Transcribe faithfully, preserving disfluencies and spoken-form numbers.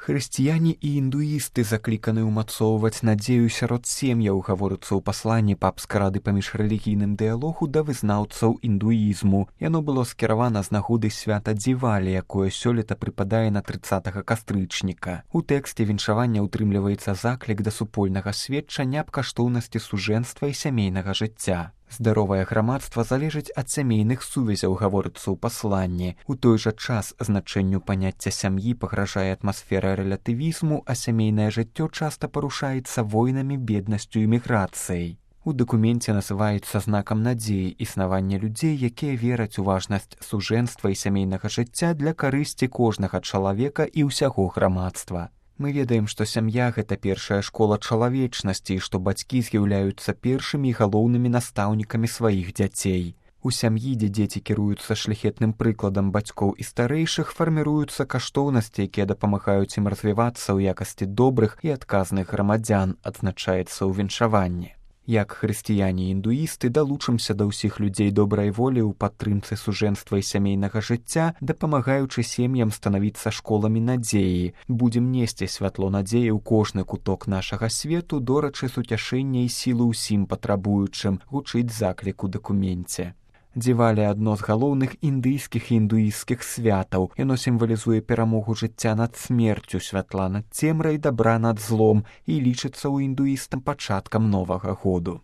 Хрысціяне і індуісты закліканы ўмацоўваць надзею сярод сем'яў, гаворыцца ў пасланні папскай рады па міжрэлігійным дыялогу да вызнаўцаў індуізму. Яно было скіравана з нагоды свята Дзівалі, якое сёлета прыпадае на трыццатага кастрычніка. У тэксце віншавання ўтрымліваецца заклік да супольнага сведчання аб каштоўнасці сужэнства і сямейнага жыцця. Здаровае грамадства залежыць ад сямейных сувязяў, гаворыцца ў пасланні. У той жа час значэнню паняцця сям'і пагражае атмасфера рэлятывізму, а сямейнае жыццё часта парушаецца войнамі, беднасцю і міграцыяй. У дакуменце называецца знакам надзеі існавання людзей, якія вераць у важнасць сужэнства і сямейнага жыцця для карысці кожнага чалавека і ўсяго грамадства. Мы ведаем, што сям'я – гэта першая школа чалавечнасці і што бацькі з'яўляюцца першымі і галоўнымі настаўнікамі сваіх дзяцей. У сям'і, дзе дзеці кіруюцца шляхетным прыкладам бацькоў і старэйшых, фарміруюцца каштоўнасці, якія дапамагаюць ім развівацца ў якасці добрых і адказных грамадзян, адзначаецца ў віншаванні. Як хрысціяне і індуісты далучымся да ўсіх людзей добрай волі ў падтрымцы сужэнства і сямейнага жыцця, дапамагаючы сем'ям станавіцца школамі надзеі. Будзем несці святло надзеі ў кожны куток нашага свету, дорачы суцяшэння і сілы ўсім патрабуючым, гучыць заклік у дакуменце. Дзівалі – адно з галоўных індыйскіх і індуісцкіх святаў. Яно сімвалізуе перамогу жыцця над смерцю, святла над цемрай, дабра над злом і лічыцца ў індуістам пачаткам новага году.